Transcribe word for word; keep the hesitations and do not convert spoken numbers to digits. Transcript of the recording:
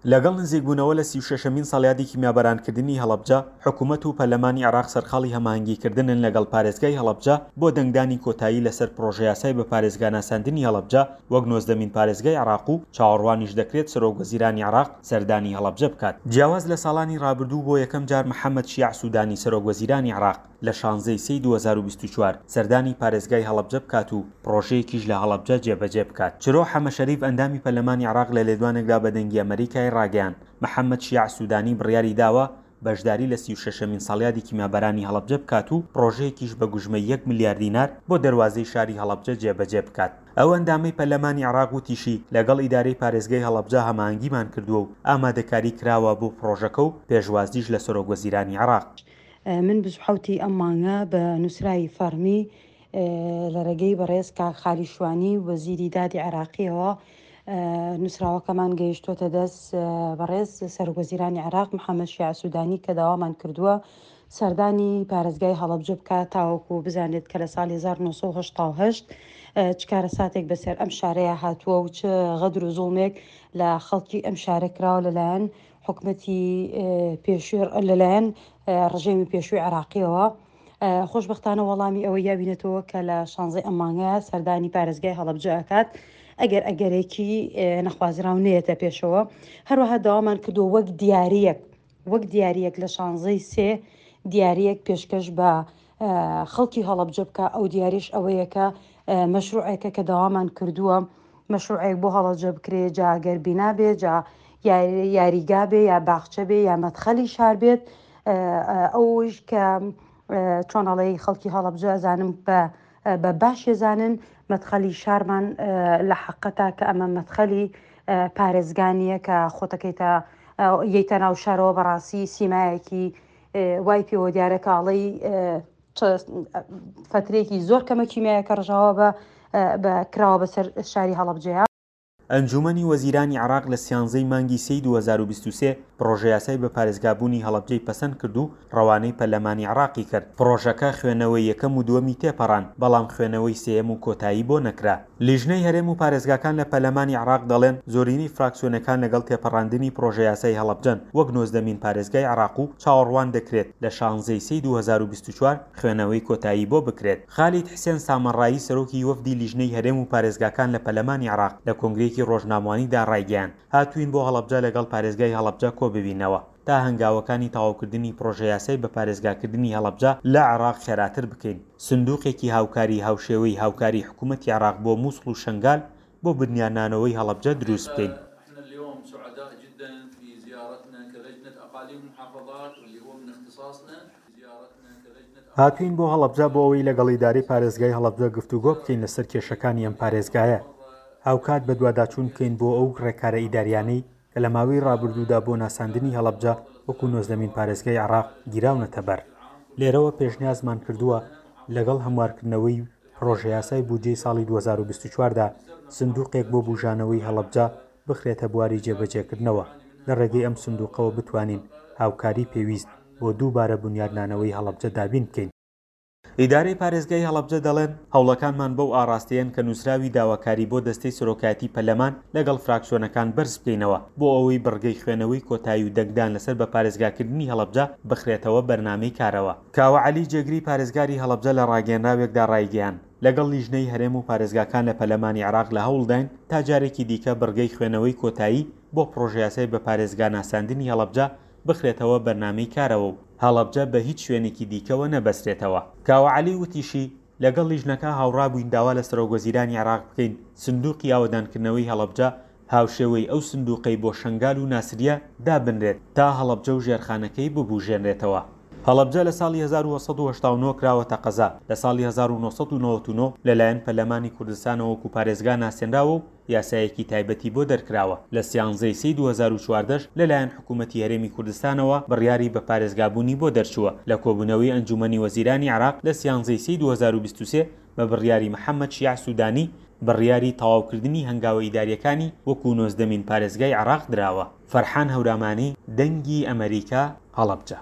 لەگەڵ نزیکبوونەوە لە سی و شەشەمین ساڵیادی کیمیابارانکردنی هەڵەبجە، حکوومەت و پەرلەمانی عێراق سەرقاڵی هەماهەنگیکردنن لەگەڵ پارێزگای هەڵەبجە بۆ دەنگدانی کۆتایی لەسەر پڕۆژەیاسای بە پارێزگاناساندنی هەڵەبجە وەک نۆزدەمین پارێزگای عێراق و چاوەڕوانیش دەکرێت سەرۆکوەزیرانی عێراق سەردانی هەڵەبجە بکات. جیاواز لە ساڵانی ڕابردوو بۆ یەکەم جار محەممەد شیاع سوودانی سەرۆکوەزیرانی عێراق لە شانزەی سێی دوو هەزار و بیست و چوار سەردانی پارێزگای هەڵەبجە بکات و پڕۆژەیەکیش لە هەڵەبجە جێبەجێ بکات. چرۆ حەمە شەریف ئەندامی پەرلەمانی عێراق لە لێدوانێکدا بە دەنگی ئەمەریکای ڕاگەیاند محەممەد شیاع سوودانی بڕیاری داوە بەشداری لە سی و شەشەمین ساڵیادی کیمیابارانی هەڵەبجە بکات و پڕۆژەیەکیش بە گوژمەی یەک ملیار دینار بۆ دەروازەی شاری هەڵەبجە جێبەجێ بکات. ئەو ئەندامەی پەرلەمانی عێراق وتیشی لەگەڵ ئیدارەی پارێزگای هەڵەبجە هەماهەنگیمان کردووە و ئامادەکاری کراوە بۆ پڕۆژەکە و پێشوازیش لە سەرۆکوەزیرانی عێراق. من بیست و حەوتی ئەم مانگە بە نووسراوی فەرمی لە ڕێگەی بەڕێز کاک خالی شوانی وەزیری دادی عێراقیەوە نووسراوەکەمان گەیشتووەتە دەست بەڕێز سەرۆکوەزیرانی عێراق محەممەد شیاع سوودانی کە داوامان کردووە سەردانی پارێزگای هەڵەبجە بکات تاوەکو بزانێت کە لە ساڵی هەزار و نۆ سەد و هەشتا و هەشت چ کارەساتێک بەسەر ئەم شارەیە هاتووە و چ غەدر و زوڵمێک لە خەڵکی ئەم شارە کراوە لەلایەن حکومەتی پێشووی لەلایەن ڕژێمی پێشووی عێراقیەوە. خۆشبەختانە وەڵامی ئەوە یاوینێتەوە کە لە شانزەی ئەم مانگەیە سەردانی پارێزگای هەڵەبجە ئەکات ئەگەر ئەگەرێکی نەخوازراو نێتە پێشەوە. هەروەها داوامان کردووە وەک دیاریەک وەک دیاریەک لە شانزەی سێ دیاریەک پێشکەش بە خەڵکی هەڵەبجە بکە. ئەو دیاریش ئەوەیە کە مەشروعێکە کە داوامان کردووە مەشروعێک بۆ هەڵەبجە بکرێ، جا ئەگەر بینا بێ، جا یاریگا بێ یا باخچە بێ یا مەدخەلی شار بێت. ئەوش کە چۆن ئەڵێی خەڵکی هەڵەبجە ئەزانم بە باشێزانن مەدخەلی شارمان لە حەقەتا کە ئەمە مەدخەلی پارێزگانیە کە خۆتەکەیتە یەیتە ناو شارەوە بەڕاستی سیمایەکی وای پێوە دیارە کە ئەڵێی فترێکی زۆر کەمە کیمیایەکە ڕژاوە بە کراوە بەسەر شاری هەڵەبجەیە. ئەنجومەنی وەزیرانی عێراق لە سیانزەی مانگی سێی دوو هەزار و بیست و سێ پڕۆژەیاسای بە پارێزگابوونی هەڵەبجەی پەسەند کرد و ڕەوانەی پەرلەمانی عێراقی کرد. پڕۆژەکە خوێنەوەی یەکەم و دووەمی تێپەڕان، بەڵام خوێنەوەی سێیەم و کۆتایی بۆ نەکرا. لیژنەی هەرێم و پارێزگاکان لە پەرلەمانی عێراق دەڵێن زۆرینەی فراکسیۆنەکان لەگەڵ تێپەڕاندنی پڕۆژەیاسای هەڵەبجەن وەک نۆزدەمین پارێزگای عێراق و چاوەڕوان دەکرێت لە شانزەی سێی دوو هەزار و بیست و چوار خوێنەوەی کۆتایی بۆ بکرێت. خالید حسێن سامەڕایی سەرۆکی وەفدی لیژنەی هەرێم و پارێزگاکان لە پەرلەمانی عێراق لە کۆنگرەیەکی ڕۆژنامەوانیدا ڕایگەیاند هاتوین بۆ هەڵەبجە لەگەڵ پارێزگای هەڵەبجە کۆ ببینەوە تا هەنگاوەکانی تەواوکردنی پڕۆژەیاسای بە پارێزگاکردنی هەڵەبجە لە عێراق خێراتر بکەین. سندوقێکی هاوکاری هاوشێوەی هاوکاری حکوومەتی عێراق بۆ مووسڵ و شەنگال بۆ بنیادنانەوەی هەڵەبجە دروست بکەین. هاتوین بۆ هەڵەبجە بۆ ئەوەی لەگەڵ ئیدارەی پارێزگای هەڵەبجە گفتوگۆ بکەین لەسەر کێشەکانی ئەم پارێزگایە. هاوکات بەدواداچوون بکەین بۆ ئەو ڕێکارە ئیداریانەی کە لە ماوەی ڕابردوودا بۆ ناساندنی هەڵەبجە وەکو نۆزدەمین پارێزگای عێراق گیراونەتە بەر. لێرەوە پێشنیازمان کردووە لەگەڵ هەموارکردنەوەی پڕۆژەیاسای بودجەی ساڵی دوو هەزار و بیست و چوار دا سندوقێک بۆ بوژانەوەی هەڵەبجە بخرێتە بواری جێبەجێکردنەوە. لە ڕێگەی ئەم سندوقەوە بتوانین هاوکاری پێویست بۆ دووبارە بونیادنانەوەی هەڵەبجە دابین بکەین. ئیدارەی پارێزگای هەڵەبجە دەڵێن هەوڵەکانمان بەو ئاراستەیەن کە نووسراوی داواکاری بۆ دەستەی سەرۆکایەتی پەرلەمان لەگەڵ فراکسیۆنەکان بەرز بکەینەوە بۆ ئەوەی بڕگەی خوێنەوەی کۆتایی و دەنگدان لەسەر بە پارێزگاکردنی هەڵەبجە بخرێتەوە بەرنامەی کارەوە. کاوە عەلی جێگری پارێزگاری هەڵەبجە لە ڕاگەیەنراوێکدا ڕایگەیاند لەگەڵ لیژنەی هەرێم و پارێزگاکان لە پەرلەمانی عێراق لە هەوڵداین تا جارێکی دیکە بڕگەی خوێنەوەی کۆتایی بۆ پڕۆژەیاسای بە پارێزگا ناساندنی هەڵەبجە بخرێتەوە بەرنامەی کارەوە و هەڵەبجە بە هیچ شوێنێکی دیکەوە نەبەسترێتەوە. کاوە عەلی وتیشی لەگەڵ لیژنەکە هاوڕابووین داوا لە سەرۆکوەزیرانی عێراق بکەین سندوقی ئاوەدانکردنەوەی هەڵەبجە هاوشێوەی ئەو سندوقەی بۆ شەنگال و ناسریە دابنرێت تا هەڵەبجە و ژێرخانەکەی ببوژێنرێتەوە. هەڵەبجە لە ساڵی هەزار و سەد و هەشتا و نۆ کراوەتە قەزا، لە ساڵی هەزار و نۆ سەد و نەوەد و نۆ لەلایەن پەرلەمانی کوردستانەوە وەکو پارێزگا ناسێنراوە و یاسایەکی تایبەتی بۆ دەرکراوە. لە سیانزەی سێی دوو هەزار و چواردە لەلایەن حکوومەتی هەرێمی کوردستانەوە بڕیاری بە پارێزگابوونی بۆ دەرچووە. لە کۆبوونەوەی ئەنجومەنی وەزیرانی عێراق لە سیانزەی سێی دوو هەزار و بیست و سێ بە بڕیاری محەممەد شیاع سوودانی بڕیاری تەواوکردنی هەنگاوە ئیداریەکانی وەکو نۆزدەمین پارێزگای عێراق دراوە. فەرحان هەورامانی، دەنگی ئەمەریکا، هەڵەبجە.